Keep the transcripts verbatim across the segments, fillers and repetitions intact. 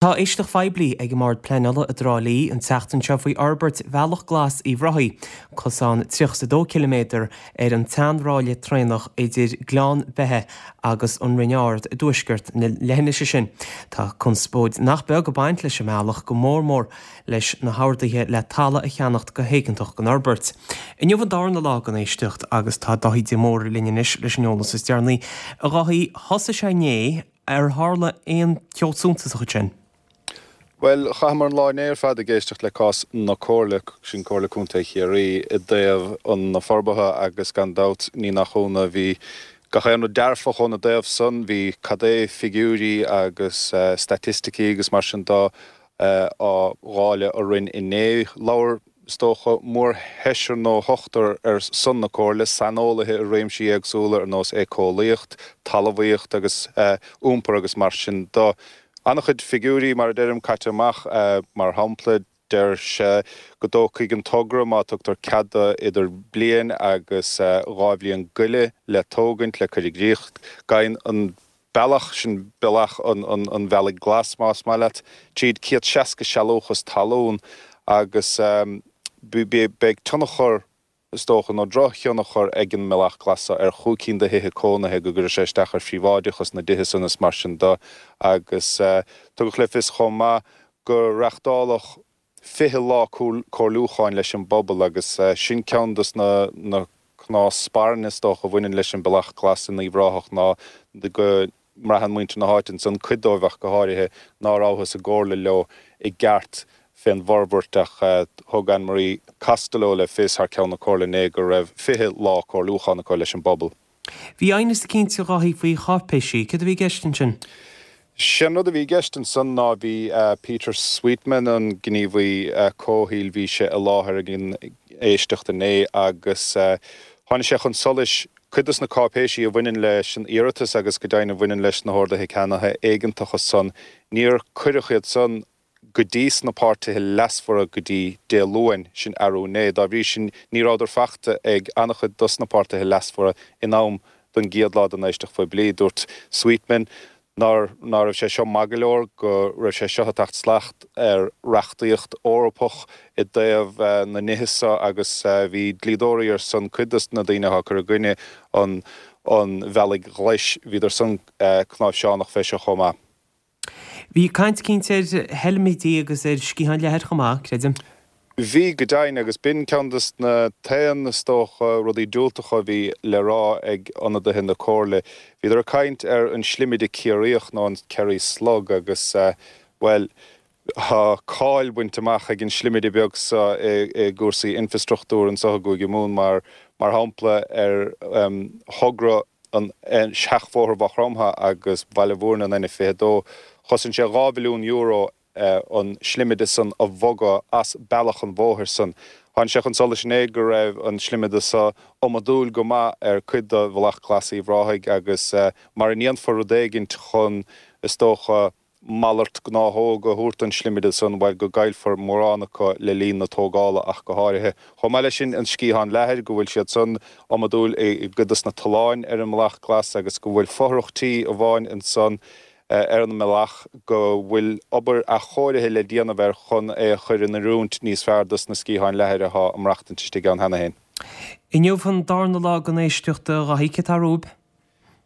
Tá éisteacht phoiblí ag an mBord Pleanála i dTrá Lí an tseachtain seo faoi fhorbairt Bhealach Glas Uíbh Ráthaigh, cosán tríocha dó ciliméadar ar an tseanráille traenach idir Gleann Beithe agus an Rinn Ard i dtuaisceart na leithinise sin. Tá conspóid nach beag ag baint leis an mbealach go mór mór leis na horduithe le talamh a cheannacht go héigeantach don fhorbairt. Inniu an darna lá den éisteacht agus tá Dáithí de Mórdha linn anois leis an eolas is deireanaí. A Dháithí, thosaigh sé inné ar tharla aon cheo suntasach ansin. Bhuel, chaitheamar an lá inné ar fad ag éisteacht le cás na Comhairle, sin Comhairle Contae Chiarraí, i dtaobh na forbartha agus gan dabht ní nach ionadh bhí gach aon rud dearfach óna dtaobh san, bhí cad é figiúirí agus staitisticí agus mar sin de á dháileadh orainn inné. Labhair, is dócha, mórsheisear nó shochtar ar son na Comhairle, saineolaithe i réimsí éagsúla ar nós éiceolaíocht, talmhaíocht agus iompar agus mar sin de. An-chuid figiúirí, mar a deirim, caite amach. Mar shampla, deir sé go dtógfaidh an togra, má tugtar cead do, idir bliain agus dhá bhliain go leith le tógaint, le cur i gcrích. Gabhann an bealach, sin bealach an Bhealaigh Ghlais, más maith leat, tríd céad seasca sealúchas talún agus beidh tionchar, is dócha, nó drochthionchar ag an mBealach Glas seo ar chúig cinn de thithe cónaithe, go gcuirfidh sé isteach ar phríobháideachas na dtithe san is mar sin de agus tugadh le fios chomh maith go reachtáladh fiche lá comhairliúcháin leis an bpobal agus sin ceann dos na cnámha spairne is dócha a bhaineann leis an Bealach Glas in Uíbh Ráthach ná go mbraitheann muintir na háite ansan, cuid dóibh ach go háirithe, ná rabhthas i gcomhairle leo i gceart fén bhforbairt ach thug Anne Marie Costello le fios thar ceann na Comhairle inné go raibh fiche lá comhairliúcháin acu leis an bpobal. Bhí aighneas eicínt a Dháithí faoi cháipéisí, céard a bhí i gceist ansin? Sé'n rud a bhí i gceist ansan ná bhí Peter Sweetman, an gníomhaí comhshaoil, bhí sé i láthair ag an éisteacht inné agus tháinig sé chun solais cuid dos na cáipéisí a bhaineann leis an iarratas agus go deimhin a bhaineann leis na horduithe ceannaithe éigeantacha san, níor cuireadh iad san go dtí sna páirtithe leasmhara go dtí Dé Luain, sin arú inné. Dá bhrí sin, ní rabhadar faighte ag an-chuid dos na páirtithe leasmhara in am don gcéad lá den éisteacht phoiblí. Dúirt Sweetman nár ná raibh sé seo maith go leor, go raibh sé seo ag teacht salach ar reachtaíocht Eorpach i dtaobh na nithe seo agus bhí dlíodóirí ar son cuid dos na daoine atá ag cur i gcoinne an an Bhealaigh Ghlais, bhíodar san cnáimhseánach fé seo chomh maith. Bhí caint eicínt ar sheilmidí agus ar sciatháin leathair chomh maith, creidim. Bhí, go deimhin, agus b'in ceann de na t-aon, is dócha, rudaí diúltacha a bhí le rá ag ionadaithe na Comhairle. Bhíodar ag caint ar an slimide Ciarraíoch, nó an Kerry Slug, agus, bhuel, tá cáil bainte amach ag an slimide beag seo i gcúrsaí infreastruchtúir anseo i gCúige Mumhan, mar, mar shampla, ar thogra an Seachbhóthar Mhaigh Chromtha agus Bhaile Mhúirne, an N fiche dó. Chosain sé dhá mhilliún euro an slimide san a bhogadh as bealach an bhóthair san. Tháinig sé chun solais inné go raibh an slimide so iomadúil go maith ar cuid de Bhealach Glas Uíbh Ráthaigh agus mara ndéanfar rud éigint chun, is dócha, malairt gnáthóg a thabhairt don slimide san, bhuel, go gcaillfear mórán acu le linn na tógála ach go háirithe. Chomh maith leis sin, an sciathán leathair, go bhfuil siad san iomadúil i gcuid dos na tolláin ar an mBealach Glas agus go bhfuil fothrach tí amháin ansan ar an mbealach go bhfuil obair athchóirithe le déanamh air chun é a chur in oiriúint níos fearr dos na sciatháin leathair atá ag maireachtaint istigh ann cheana féin. Inniu an darna lá den éisteacht, a Dháithí, céard atá romhaibh?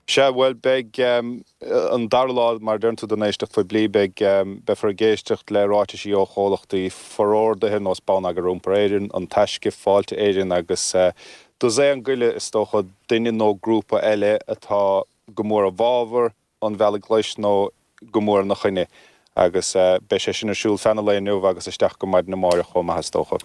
Sea, bhuel, beidh an dara lá, mar a deireann tú, den éisteacht phoiblí. Beidh, beifear ag éisteacht le ráitisí ó chomhlachtaí forordaithe, nós Bonneagar Iompair Éireann, An Taisce, Fáilte Éireann agus dosaen go leith, is dócha, duine nó grúpa eile atá go mór i bhfabhar an Bhealaigh Ghlais nó go mór ina choinne. Agus beidh sé sin ar siúl feadh an lae inniu agus isteach go maidin amáireach chomh maith, is dócha.